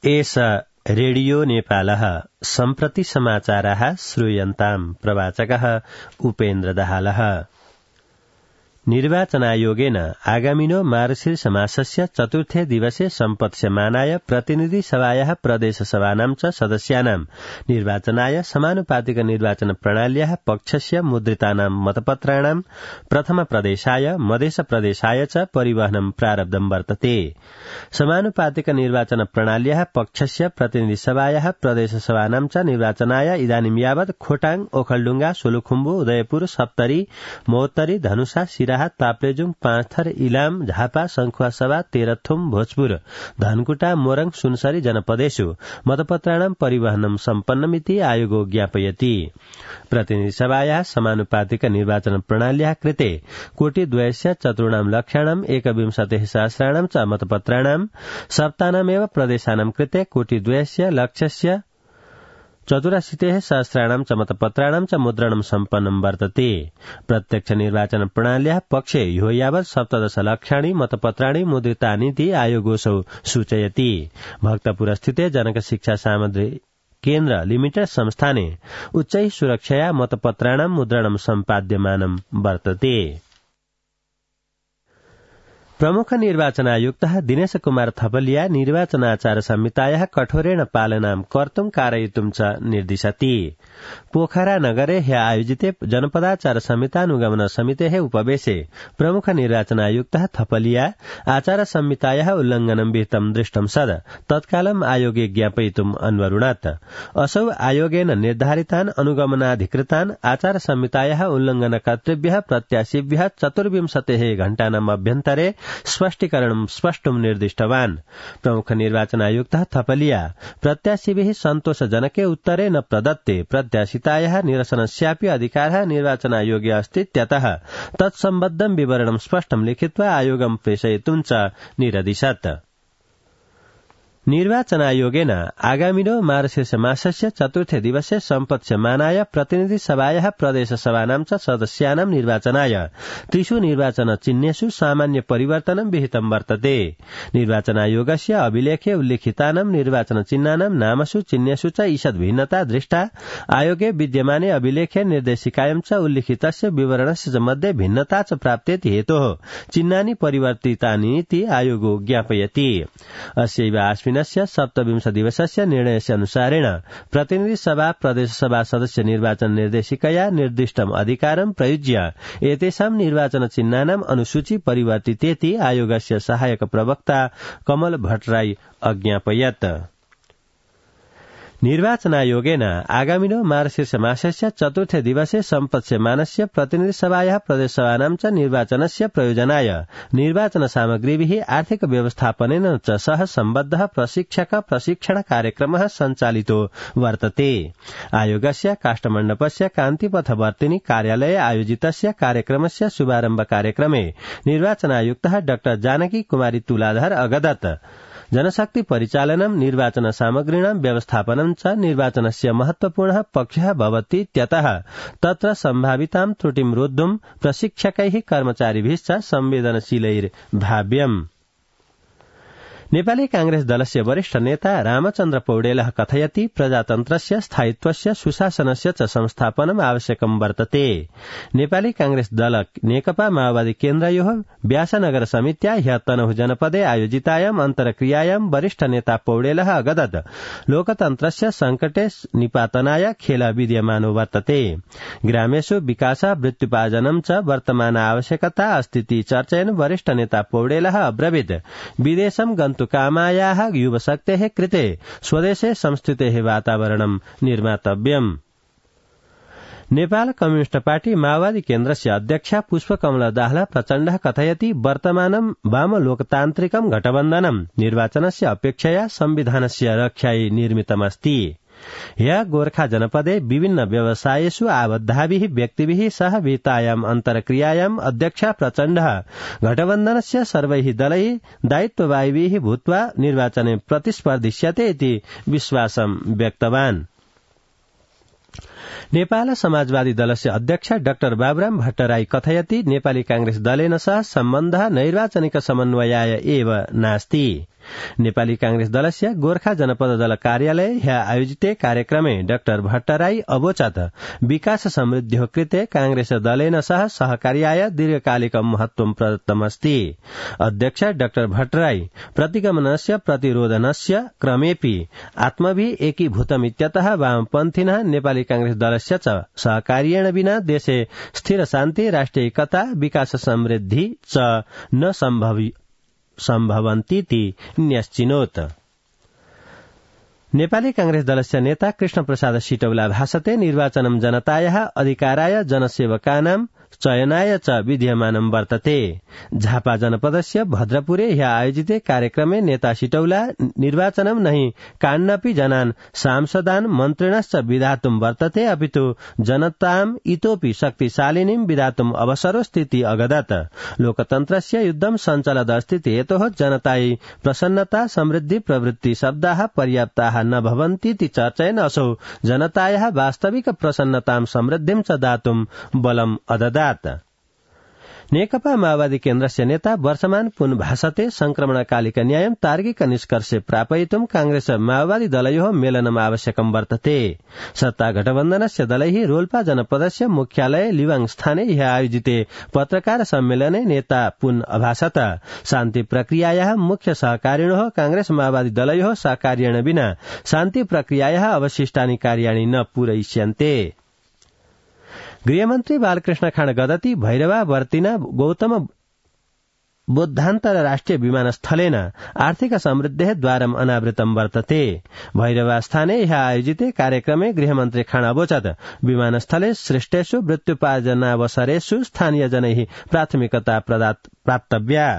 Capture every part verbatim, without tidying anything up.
एष रेडियो नेपालः सम्प्रति समाचाराः श्रूयन्ताम् प्रवाचकः उपेन्द्र दाहालः। निर्वाचनायोगेन आगामिनो मार्गशीर्ष मासस्य चतुर्थे दिवसे सम्पत्स्यमानाय प्रतिनिधि सभायाः प्रदेश सभानां च सदस्यानां निर्वाचनाय समानुपातिक निर्वाचन प्रणाल्याः पक्षस्य मुद्रितानां मतपत्राणां प्रथम प्रदेशाय मधेस प्रदेशाय च परिवहनं प्रारब्धं वर्तते। समानुपातिक निर्वाचन प्रणाल्याः पक्षस्य प्रतिनिधि सभायाः प्रदेश सभानां च निर्वाचनाय इदानीं यावत् खोटाङ, ओखलढुंगा, सोलुखुम्बु, उदयपुर, सप्तरी, महोत्तरी, धनुषा, सिराहा, ताप्लेजुङ, पाँचथर, इलाम, झापा, संखुवासभा, तेह्रथुम, भोजपुर, धनकुटा, मोरङ, सुनसरी जनपदेषु मतपत्राणां परिवहनं सम्पन्नमिति आयोगो ज्ञापयति। प्रतिनिधि सभायाः समानुपातिक निर्वाचन प्रणाल्याः कृते कोटिद्वयस्य चतुर्णां लक्षाणां एकविंशतिः सहस्राणां च मतपत्राणां सप्तानामेव प्रदेशानां कृते कोटिद्वयस्य लक्षस्य चतुराशीतिः सहस्राणां च मतपत्राणां च मुद्रणं सम्पन्नं वर्तते। प्रत्यक्ष निर्वाचन प्रणाल्याः पक्षे ह्यो यावत् सप्तदश लक्षाणि मतपत्राणि मुद्रितानीति आयोगोऽसौ सूचयति। भक्तपुरस्थिते जनक शिक्षा सामग्री केन्द्र लिमिटेड संस्थाने उच्चैः सुरक्षया मतपत्राणां मुद्रणं सम्पाद्यमानं वर्तते। प्रमुख निर्वाचनायुक्तः दिनेश कुमार थपलिया निर्वाचनाचार संहितायाः कठोरेण पालनां कर्तुं कारयितुं च निर्दिशति। पोखरा नगरे ह्य आयोजिते जनपदाचार संहितानुगमन समितेः उपवेशे प्रमुख निर्वाचनायुक्तः थपलिया आचार संहितायाः उल्लंघनं विहितं दृष्टं सद तत्कालम् आयोगे ज्ञापयितुम् अन्वरुणत्। असौ आयोगेन निर्धारितान् अनुगमनाधिकृतान् आचार संहितायाः उल्लंघनकर्तृभ्यः प्रत्याशिभ्यः चतुर्विंशतेः घण्टानाम् अभ्यन्तरे स्पष्टीकरणं स्पष्टुं निर्दिष्टवान्। प्रमुख निर्वाचनायुक्तः थपलिया प्रत्याशिभिः सन्तोषजनके उत्तरे न प्रदत्ते प्रत्याशितायाः निरसनस्यापि अधिकारः निर्वाचनायोगे अस्तीत्यतः तत्सम्बद्धं विवरणं स्पष्टं लिखित्वा आयोगं प्रेषयितुं च निरदिशत्। निर्वाचनायोगेन आगामिनो मार्गशीर्ष मासस्य चतुर्थे दिवसे सम्पत्स्यमानाय प्रतिनिधि सभायाः प्रदेश सभानां च सदस्यानां निर्वाचनाय त्रिषु निर्वाचन चिह्नेषु सामान्य परिवर्तनं विहितं वर्तते। निर्वाचनायोगस्य अभिलेखे उल्लिखितानां निर्वाचन चिह्नानां नामसु चिह्नेषु च ईषद् भिन्नता दृष्टा आयोगे विद्यमाने अभिलेखे निर्देशिकायां च उल्लिखितस्य विवरणस्य च मध्ये भिन्नता च प्राप्तेति हेतोः चिह्नानि परिवर्तितानीति आयोगो ज्ञापयति। अस्यैव आश्विन सप्तविंश दिवसस्य निर्णयस्य अनुसारेण प्रतिनिधि सभा प्रदेश सभा सदस्य निर्वाचन निर्देशिकया निर्दिष्टम् अधिकारं प्रयुज्य एतेषां निर्वाचन चिह्नानाम् अनुसूची परिवर्तितेति आयोगस्य सहायक प्रवक्ता कमल भट्टराई अज्ञापयत्। निर्वाचनायोगेन आगामिनो मार्गशीर्ष मासस्य चतुर्थे दिवसे सम्पत्स्यमानस्य प्रतिनिधि सभायाः प्रदेशसभानां च निर्वाचनस्य प्रयोजनाय निर्वाचन सामग्रीभिः आर्थिक व्यवस्थापनेन च सह सम्बद्धः प्रशिक्षक प्रशिक्षण कार्यक्रमः सञ्चालितो वर्तते। आयोगस्य काष्ठमण्डपस्य कान्तिपथवर्तिनी कार्यालये आयोजितस्य कार्यक्रमस्य शुभारम्भ कार्यक्रमे निर्वाचनायुक्तः डाक्टर जानकी कुमारी तुलाधर अगदत् जनशक्ति परिचालनं निर्वाचन सामग्रीणां व्यवस्थापनं च निर्वाचनस्य महत्वपूर्णः पक्षः भवतीत्यतः तत्र सम्भावितां त्रुटिं रोद्धुं प्रशिक्षकैः कर्मचारिभिश्च संवेदनशीलैर्भाव्यम्। नेपाली कांग्रेस दलस्य वरिष्ठ नेता रामचन्द्र पौडेलः कथयति प्रजातन्त्रस्य स्थायित्वस्य सुशासनस्य च संस्थापनम् आवश्यकं वर्तते। नेपाली कांग्रेस दल नेकपा माओवादी केन्द्रयोः व्यासनगर समित्या ह्यः तनहुँ जनपदे आयोजितायाम् अन्तर्क्रियायां वरिष्ठ नेता पौडेलः अगदत् लोकतन्त्रस्य संकटे निपातनाय खेलः विद्यमानो वर्तते। ग्रामेषु विकासः वृत्त्युपार्जनं च वर्तमान आवश्यकता अस्तीति चर्चयन् वरिष्ठ नेता पौडेलः अब्रवीत् विदेशं कामायाः युवशक्तेः कृते स्वदेशे संस्थितेः वातावरणं निर्मातव्यम्। नेपाल कम्युनिस्ट पार्टी माओवादी केन्द्रस्य अध्यक्षा पुष्पकमला दाहाल प्रचण्डः कथयति वर्तमानं वाम लोकतान्त्रिकं गठबन्धनं निर्वाचनस्य अपेक्षया संविधानस्य रक्षायै निर्मितमस्ति। ह्यः गोर्खा जनपदे विभिन्न व्यवसायेषु आबद्धाभिः व्यक्तिभिः सह विहितायाम् अन्तर्क्रियायाम् अध्यक्षा प्रचण्डः गठबन्धनस्य सर्वैः दलैः दायित्ववाहिभिः भूत्वा निर्वाचने प्रतिस्पर्धिष्यते इति विश्वासं व्यक्तवान्। नेपाल समाजवादी दलस्य अध्यक्ष डाक्टर बाबुराम भट्टराई कथयति नेपाली कांग्रेस दलेन सह सम्बन्धः नैर्वाचनिक समन्वयाय एव नास्ति। नेपाली कांग्रेस दलस्य गोर्खा जनपद दल कार्यालय ह्य आयोजिते कार्यक्रमे डाक्टर भट्टराई अवोचत विकास समृद्धिः कृते कांग्रेस दलेन सह सहकार्याय दीर्घकालिक महत्वं प्रदत्तमस्ति। अध्यक्ष डाक्टर भट्टराई प्रतिगमनस्य प्रतिरोधनस्य क्रमेऽपि आत्मभि एकीभूतमित्यतः वामपन्थिनः नेपाली कांग्रेस दलस्य च सहकार्येण विना देशे स्थिर शान्ति राष्ट्रिय एकता विकास समृद्धि च न सम्भवि सम्भवन्तीति न्यश्चिनोत्। नेपाली कांग्रेस दलस्य नेता कृष्ण प्रसाद सिटौला भाषते निर्वाचनं जनतायाः अधिकाराय जनसेवकानां चयनाय च विधीयमानं वर्तते। झापा जनपदस्य भद्रपुरे ह्य आयोजिते कार्यक्रमे नेता सिटौला निर्वाचनं नहि कान्नपि जनान् सांसदान् मन्त्रिणश्च विधातुं वर्तते अपितु जनताम् इतोपि शक्तिशालिनीं विधातुम् अवसरोस्तीति अगदत्। लोकतन्त्रस्य युद्धं सञ्चलदस्तीति हेतोः जनतायै प्रसन्नता समृद्धि प्रवृत्ति शब्दाः पर्याप्ताः न भवन्तीति चर्चयन् असौ जनतायाः वास्तविक प्रसन्नतां समृद्धिं च दातुं बलम् अददात्। नेकपा माओवादी केन्द्रस्य नेता वर्षमान पुन भाषते संक्रमणकालिक न्यायं तार्किक निष्कर्षे प्रापयितुं कांग्रेस माओवादी दलयोः मेलनम् आवश्यकं वर्तते। सत्ता गठबन्धनस्य दलैः रोल्पा जनपदस्य मुख्यालय लिवाङ स्थाने ह्य आयोजिते पत्रकार सम्मेलने नेता पुन अभाषत शान्ति प्रक्रियायाः मुख्य सहकारिणोः कांग्रेस माओवादी दलयोः सहकार्येण विना शान्ति प्रक्रियायाः अवशिष्टानि कार्याणि न पूरयिष्यन्ते। गृहमन्त्री बालकृष्ण खाँडगदती भैरवा वर्तिना गौतम बुद्धान्तरराष्ट्रिय विमानस्थलेन आर्थिक समृद्धेः द्वारम् अनावृतं वर्तते। भैरवा स्थाने ह्य आयोजिते कार्यक्रमे गृहमन्त्री खाँड अवोचत् विमानस्थले सृष्टेषु मृत्युपार्जनावसरेषु स्थानीयजनैः प्राथमिकता प्राप्तव्या।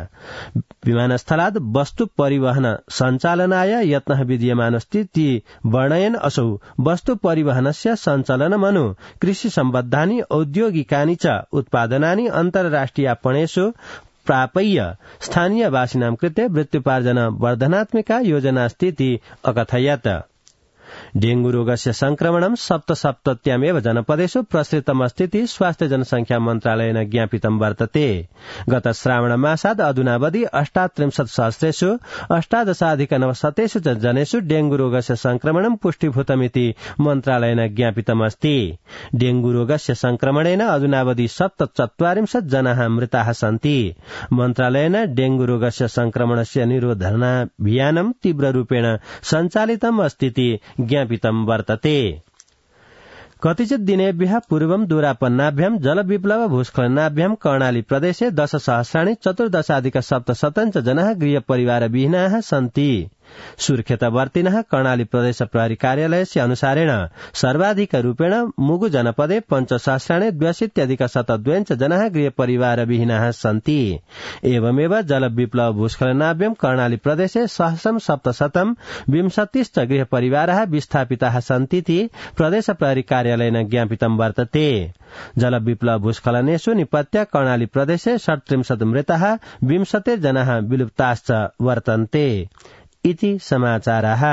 विमानस्थलात् वस्तु परिवहन सञ्चालनाय यत्नः विधीयमानस्ति वर्णयन् असौ वस्तु परिवहनस्य सञ्चालनमनु कृषि सम्बद्धानि औद्योगिकानि च उत्पादनानि अन्तर्राष्ट्रियापणेषु प्रापय्य स्थानीयवासिनां कृते वृत्त्युपार्जन वर्धनात्मिका योजनास्तीति अकथयत्। डेंगू रोगस्य संक्रमणं सप्तसप्तत्यामेव जनपदेषु प्रसृतमस्तीति स्वास्थ्य जनसंख्या मन्त्रालयेन ज्ञापितं वर्तते। गत श्रावण मासात् अधुनावधि अष्टात्रिंशत् सहस्रेषु अष्टादशाधिक नवशतेषु च जनेषु डेंगू रोगस्य संक्रमणं पुष्टीभूतमिति मन्त्रालयेन ज्ञापितमस्ति। डेंगू रोगस्य संक्रमणेन अधुनावधि सप्तचत्वारिंशत् जनाः मृताः सन्ति। मन्त्रालयेन डेंगू रोगस्य संक्रमणस्य निरोधनाभियानं तीव्ररूपेण सञ्चालितम् अस्तीति ज्ञापितं वर्तते। कतिचित् दिनेभ्यः पूर्वं दूरापन्नाभ्यां जलविप्लव भूस्खलनाभ्यां कर्णाली प्रदेशे दश सहस्राणि चतुर्दशाधिक सप्तशतञ्च जनाः गृहपरिवारविहीनाः सन्ति। सुर्खेतवर्तिनः कर्णाली प्रदेश प्रहरी कार्यालयस्य अनुसारेण सर्वाधिक रूपेण मुगु जनपदे पञ्चसहस्राणि द्व्यशीत्यधिक शतद्वयञ्च जनाः गृहपरिवारविहीनाः सन्ति। एवमेव जलविप्लव भूस्खलनाभ्यां कर्णाली प्रदेशे सहस्रं सप्तशतं विंशतिश्च गृहपरिवाराः विस्थापिताः सन्तीति प्रदेश प्रहरी कार्यालयेन ज्ञापितं वर्तते। जलविप्लव भूस्खलनेषु निपत्य कर्णाली प्रदेशे षट्त्रिंशत् मृताः विंशतिर्जनाः विलुप्ताश्च वर्तन्ते। इति समाचाराः।